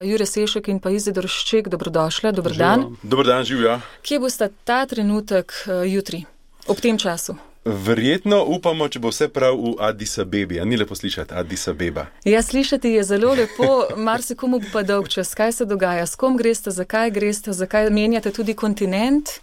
Jure Sešek in pa Izidor Šček, dobrodošla, dober dan. Dober dan, živja. Kje boste ta trenutek jutri, ob tem času? Verjetno upamo, če bo vse prav v Addis Abebi. A ni lepo slišati Addis Abeba? Ja, slišati je zelo lepo, marsikomu pa dolg čas. Kaj se dogaja? S kom greste, zakaj menjate tudi kontinent?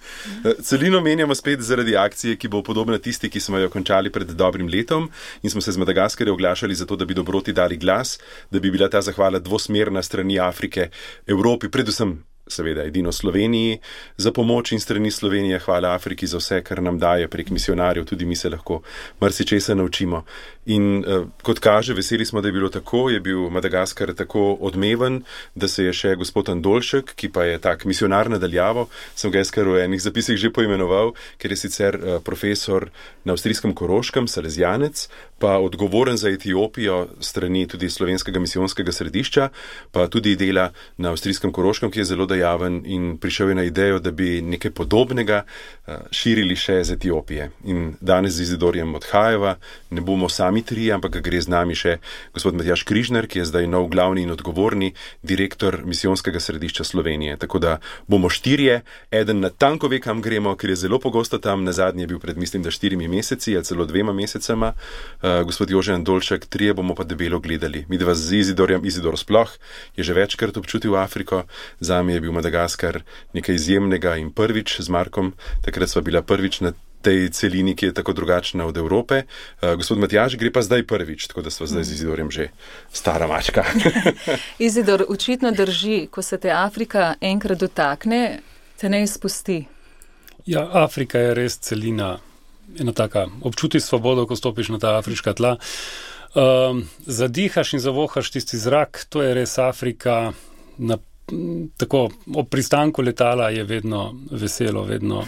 Celino menjamo spet zaradi akcije, ki bo podobna tisti, ki smo jo končali pred dobrim letom in smo se z Madagaskarja oglašali zato, da bi dobroti dali glas, da bi bila ta zahvala dvosmerna strani Afrike, Evropi, predvsem seveda edino Sloveniji za pomoč in strani Slovenije hvala Afriki za vse, kar nam daje prek misionarjev, tudi mi se lahko marsičesa naučimo. In kot kaže, veseli smo, da je bilo tako, je bil Madagaskar tako odmeven, da se je še gospod Andoljšek, ki pa je tak misionar nadaljavo, sem ga jaz kar v enih zapisih že poimenoval, ker je sicer profesor na avstrijskem Koroškem, salezijanec, pa odgovoren za Etiopijo strani tudi slovenskega misijonskega središča, pa tudi dela na avstrijskem Koroškem, ki je zelo dejaven in prišel je na idejo, da bi nekaj podobnega širili še z Etiopije. In danes z Izidorjem odhajava, ne bomo sami tri, ampak gre z nami še gospod Matjaž Križner, ki je zdaj nov glavni in odgovorni direktor misijonskega središča Slovenije. Tako da bomo štirje, eden natanko ve, kam gremo, ker je zelo pogosto tam, nazadnje je bil pred, mislim, da 4 meseci, ali celo 2 mesecema, gospod Jože Andoljšek, 3 bomo pa debelo gledali. Mi dva z Izidorjem, Izidor sploh je že večkrat občutil Afriko, zame je bil Madagaskar nekaj izjemnega in prvič z Markom, takrat sva bila prvič na tej celini, ki je tako drugačna od Evrope. Gospod Matjaž gre pa zdaj prvič, tako da sva zdaj z Izidorjem že stara mačka. Izidor, očitno drži, ko se te Afrika enkrat dotakne, te ne izpusti. Ja, Afrika je res celina, ena taka, občuti svobodo, ko stopiš na ta afriška tla. Zadihaš in zavohaš tisti zrak, to je res Afrika. Tako, ob pristanku letala je vedno veselo, vedno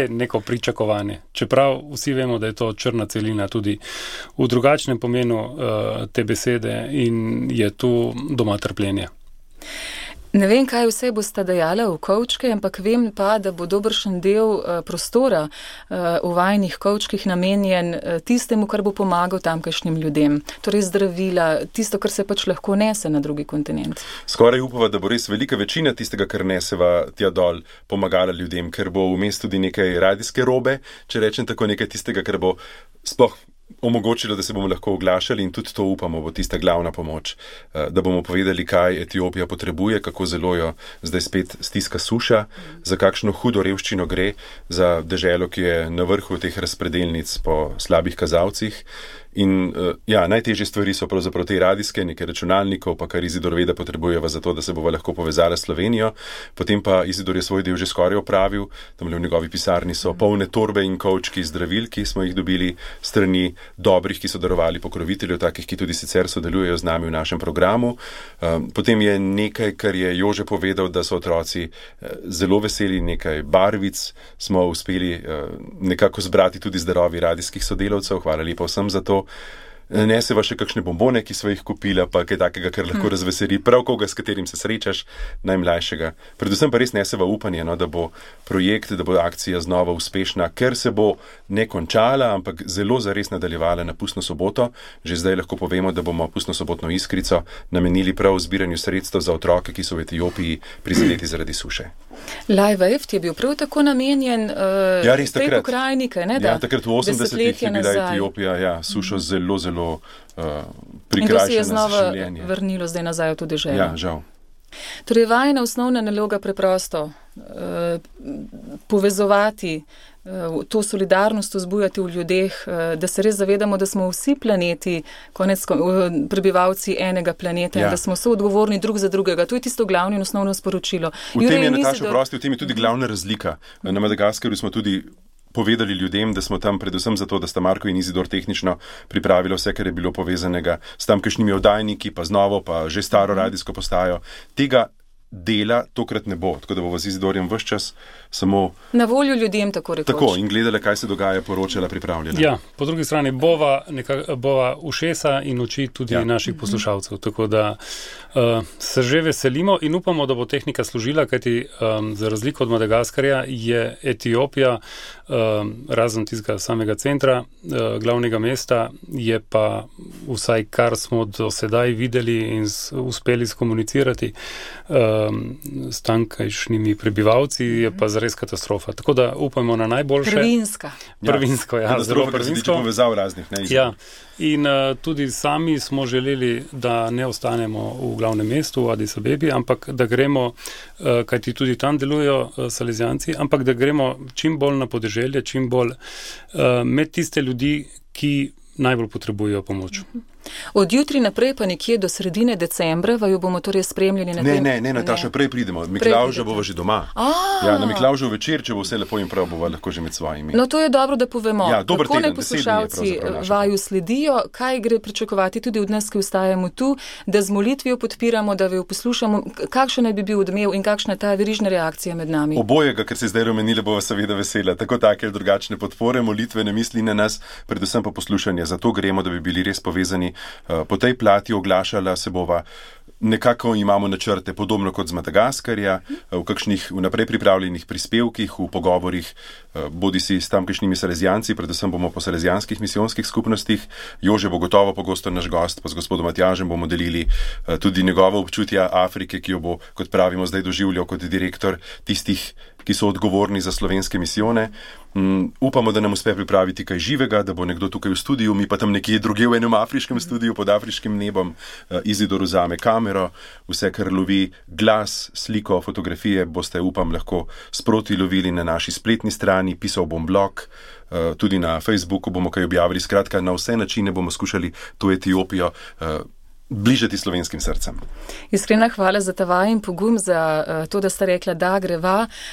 neko pričakovanje. Čeprav vsi vemo, da je to črna celina tudi v drugačnem pomenu te besede in je tu doma trpljenje. Ne vem, kaj vse boste dajala v kovčke, ampak vem pa, da bo dobršen del prostora v vajnih kovčkih namenjen tistemu, kar bo pomagal tamkajšnjim ljudem. Torej zdravila, tisto, kar se pač lahko nese na drugi kontinent. Skoraj upava, da bo res velika večina tistega, kar neseva tja dol, pomagala ljudem, ker bo vmes tudi nekaj radijske robe, če rečem tako, nekaj tistega, kar bo sploh omogočilo, da se bomo lahko oglašali in tudi to upamo, bo tista glavna pomoč, da bomo povedali, kaj Etiopija potrebuje, kako zelo jo zdaj spet stiska suša, za kakšno hudo revščino gre, za deželo, ki je na vrhu teh razpredelnic po slabih kazalcih. In najtežje stvari so pravzaprav te radijske, nekaj računalnikov, pa kar Izidor ve, da potrebujeva za to, da se bova lahko povezala s Slovenijo. Potem pa Izidor je svoj del že skoraj opravil, tam v njegovi pisarni so polne torbe in kovčki zdravil, ki smo jih dobili strani dobrih, ki so darovali pokroviteljev, takih, ki tudi sicer sodelujejo z nami v našem programu. Potem je nekaj, kar je Jože povedal, da so otroci zelo veseli, nekaj barvic smo uspeli nekako zbrati tudi z darovi radijskih sodelavcev, hvala lepa vsem za to. Neseva še kakšne bombone, ki sva jih kupila, pa kaj takega, kar lahko razveseli prav koga, s katerim se srečaš, najmlajšega. Predvsem pa res neseva upanje, da bo projekt, da bo akcija znova uspešna, ker se bo ne končala, ampak zelo zares nadaljevala na pustno soboto. Že zdaj lahko povemo, da bomo pustno sobotno iskrico namenili prav zbiranju sredstev za otroke, ki so v Etiopiji prizadeti zaradi suše. Live Aid je bil prav tako namenjen tej pokrajini, ne? Ja, takrat v 80-ih je bila Etiopija, sušo zelo prikrajšana za življenje. In to se je znova vrnilo zdaj nazaj v to deželo. Ja, žal. Torej, vajina osnovna naloga preprosto povezovati, to solidarnost vzbujati v ljudeh, da se res zavedamo, da smo vsi planeti, prebivalci enega planeta, in da smo soodgovorni drug za drugega. To je tisto glavno in osnovno sporočilo. V tem je, Nataša, v tem je tudi glavna razlika. Na Madagaskarju smo tudi povedali ljudem, da smo tam predvsem zato, da sta Marko in Izidor tehnično pripravili vse, kar je bilo povezanega s tamkajšnjimi oddajniki, pa z novo, pa že staro radijsko postajo. Tega dela tokrat ne bo, tako da bo z Izidorjem ves čas samo na voljo ljudem, tako rekoč. Tako, in gledala, kaj se dogaja, poročala, pripravljena. Ja, po drugi strani bova ušesa in oči tudi naših poslušalcev, tako da se že veselimo in upamo, da bo tehnika služila, kajti za razliko od Madagaskarja je Etiopija, razen tistega samega centra, glavnega mesta, je pa vsaj kar smo do sedaj videli in uspeli skomunicirati s tankajšnjimi prebivalci, je pa zares katastrofa. Tako da upamo na najboljše. Prvinsko, ja. Zelo prvinsko. Povezav raznih, ne? Ja. In tudi sami smo želeli, da ne ostanemo v glavnem mestu, v Addis Abebi, ampak da gremo, kajti tudi tam delujejo Salezijanci, ampak da gremo čim bolj na podeželje, čim bolj med tiste ljudi, ki najbolj potrebujejo pomoč. Od jutri naprej pa nekje do sredine decembra vaju bomo torej spremljali na tem? Ne, Nataša, prej pridemo. Miklavža bova že doma. Ja, na Miklavžu večer, če bo vse lepo in prav, bova lahko že med svojimi. No, to je dobro, da povemo. Ja, dober kako teden, naj poslušalci vaju sledijo, kaj gre pričakovati tudi od nas, ki ostajamo tu, da z molitvijo podpiramo, da vaju poslušamo, kakšen naj bi bil odmev in kakšna je ta verižna reakcija med nami. Obojega, ker se zdaj omenile, bova seveda vesela. Tako take ali drugačne podpore, molitve, ne misli na nas, predvsem pa poslušanje. Zato gremo, da bi bili res povezani. Po tej plati oglašala se bova, nekako imamo načrte, podobno kot z Madagaskarja, v kakšnih vnaprej pripravljenih prispevkih, v pogovorih, bodisi s tamkajšnjimi Salezijanci, predvsem bomo po salezijanskih misijonskih skupnostih. Jože bo gotovo pogosto naš gost, pa z gospodom Matjažem bomo delili tudi njegovo občutja Afrike, ki jo bo, kot pravimo, zdaj doživljal kot direktor tistih, ki so odgovorni za slovenske misijone. Upamo, da nam uspe pripraviti kaj živega, da bo nekdo tukaj v studiu, mi pa tam nekje drugje v enem afriškem studiu pod afriškim nebom. Izidor vzame kamero, vse, kar lovi glas, sliko, fotografije, boste, upam, lahko sproti lovili na naši spletni strani, pisal bom blog, tudi na Facebooku bomo kaj objavili. Skratka, na vse načine bomo skušali to Etiopijo bližati slovenskim srcem. Iskrena hvala za ta vaj in pogum, za to, da ste rekla, da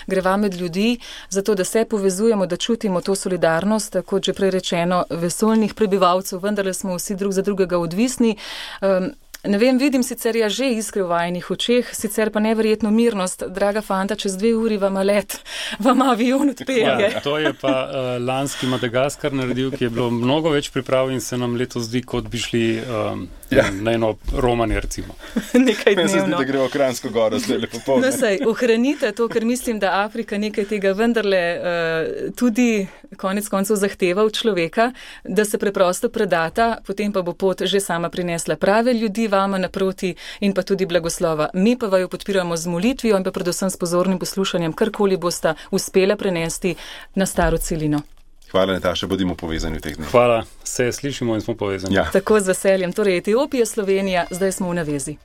greva med ljudi, zato da se povezujemo, da čutimo to solidarnost, kot že prej rečeno, vesoljnih prebivalcev, vendarle smo vsi drug za drugega odvisni. Ne vem, vidim sicer že iskre v vajinih očeh, sicer pa neverjetno mirnost. Draga fanta, čez 2 uri vam let, vam avion odpelje. Ja, to je pa lanski Madagaskar naredil, ki je bilo mnogo več priprav in se nam letos zdi, kot bi šli na eno romanje, recimo. Nekaj dnevno. Meni se zdi, da gremo v Kranjsko goro, zdaj lepo popoldne. No, saj, ohranite to, ker mislim, da Afrika nekaj tega vendarle tudi konec koncev zahteva od človeka, da se preprosto predata, potem pa bo pot že sama prinesla prave ljudi vama naproti in pa tudi blagoslova. Mi pa vaju podpiramo z molitvijo in pa predvsem s pozornim poslušanjem, karkoli bosta uspela prenesti na staro celino. Hvala, Nataša, bodimo povezani v teh dneh. Hvala, se slišimo in smo povezani. Ja. Tako z veseljem. Torej, Etiopija, Slovenija, zdaj smo v navezi.